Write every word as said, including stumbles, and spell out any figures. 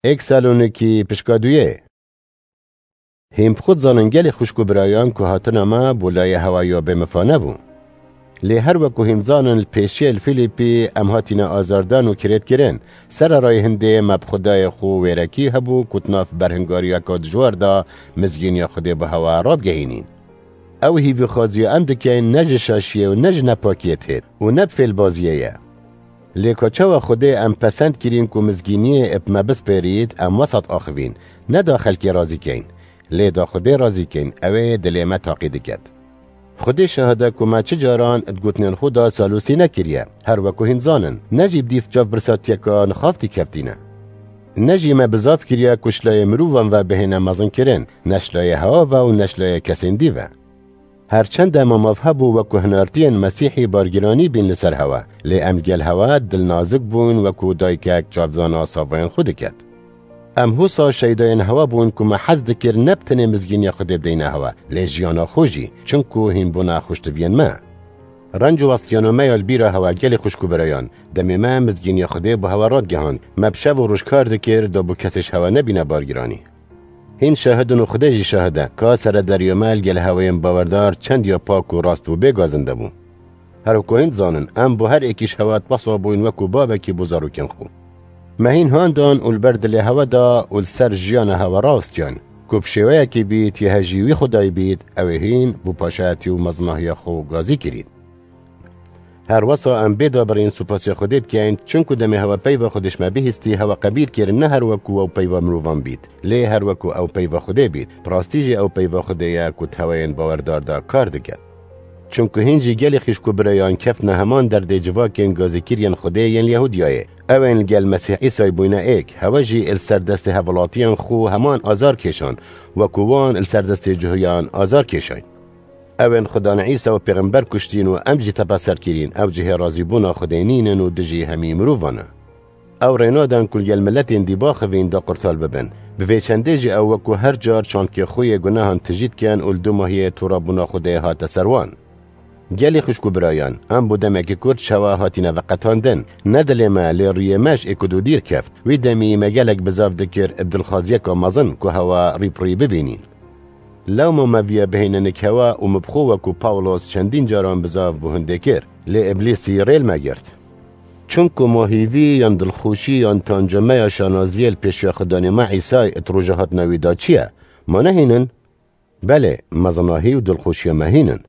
Êk Salonîkî pişka duyê. Hîn bi xwe dizanin gelê xwişk û birayan ku hatina me bo layê hewa ya bêmifa nebû. Lê her weku hîn dizanin li pêşiyê li Fîlîpî em hatine azardan û kirêtkirin. Sererayê hindê me bi Xwedayê xwe wêrekî hebû ku di nav berhingariyeke dijwar de mizgîniya Xwedê bi hewa rabigehînîn. Ew hîvîxwaziya em dikeyn ne ji şaşiyê û ne ji nepakiyê têt û ne bi fêlbaziyê ye. Lê ka çawa Xwedê em pesend kirîn ku mizgîniyê bi me bispêrît, em wesat axivîn, ne da xelkê razî keyn, lê da Xwedê razî keyn, ew ê dilê me taqî diket. Xwedê şahid e ku me çi caran di gotinên xwe de salûsî nekiriye, her weku hîn dizanin, ne jî bi dîv çavbirsatiyeka nixaftî keftîne. Ne jî me bizav kiriye ku ji layê mirovan ve bihêne mezinkirin, ne ji layê hewa ve û ne ji layê kesên dî ve. Her çend em mav hebû weku hinartiyên Mesîhî bargiranî bîn li ser hewa, lê em gel hewa dilnazik bûn, weku dayikek çavdana savayên xwe diket. Em husa şeydayên hewa bûn ku me hez dikir ne bi tenê mizgîniya Xwedê bideyne hewa, lê jiyana xwe jî, çinku hîn bûna xweştiviyên me. Renc û westiyana me ya li bîra hewa gelê xwişk û birayan, demê me mizgîniya Xwedê bi hewa radigihand, me bi şev û roj kar dikir, da bû kesê ji hewa nebîne bargiranî. Hîn şahid in û Xwedê jî şahid e, ka seredariya me li gel hewayên bawerdar çend ya pak û rast û bê gazinde bû. Her wekû hîn dizanin, em bo her êkî ji hewa dibehsa bûyn wekû bavekî bo zarokên xwe. Me hîn han dan û li ber dilê hewa da û li ser jiyana hewa rawistiyan, ku bi şêweyekî bît, yê hejî wî Xwedayî bît, ew ê hîn bo paşayetî û mezinahiya xwe gazî kirîn. Her wesa em bê dabirîn supasiya Xwedê dikeyn, çinku demê hewa peyva Xwedê ji me bihîstî, hewa qebîl kir, ne her wekû ew peyva mirovan bît, lê her wekû ew peyva Xwedê bît. Bi rastî jî ew peyva Xwedê ye ku di hewayên bawerdar de kar dike. Çinku hîn jî gelê xwişk û birayan keftine heman derdê civakên gazîkiriyên Xwedê yên Yehûdiyayê. Ew ên li gel Mesîh Îsayê bûyne êk, hewe jî li ser destê hevwelatiyên xwe heman azar kêşan, wekû wan li ser destê Cihuyan azar kêşayn. Ew ên Xudan Îsa û pêxember kuştîn û em jî tepeser kirîn, ew cihê razîbûna Xwedê nînin û dijî hemî mirovan e. Ew rê nadan ku li gel miletên dî baxivîn da qurtal bibin. Bi vê çendê jî ew wekû her car çandkê xwe yê gunehan tijî dikin û li dûmahiyê torabûna Xwedê hate ser wan. Gelî xwişk û birayan, em bo demekî kurt ji hewa hatine veqetandin. Ne dilê me, lê rûyê me ji êk û du dîr keft. Wî demî me gelek bizav dikir bi dilxwaziyeka mezin ku hewa rî bi rî bibînîn. Lewma me viya bihêne nik hewa û min bi xwe wekû Pawlos çendîn caran bizav bo hindê kir, lê Îblîsî rê li me girt. Çimku ma hîvî yan dilxweşî yan tanca me ya şanaziyê li pêşiya Xudanê me Îsay di roja hatina wî de çi ye? Ma nehînin? Belê, mezinahî û dilxweşiya me hînin.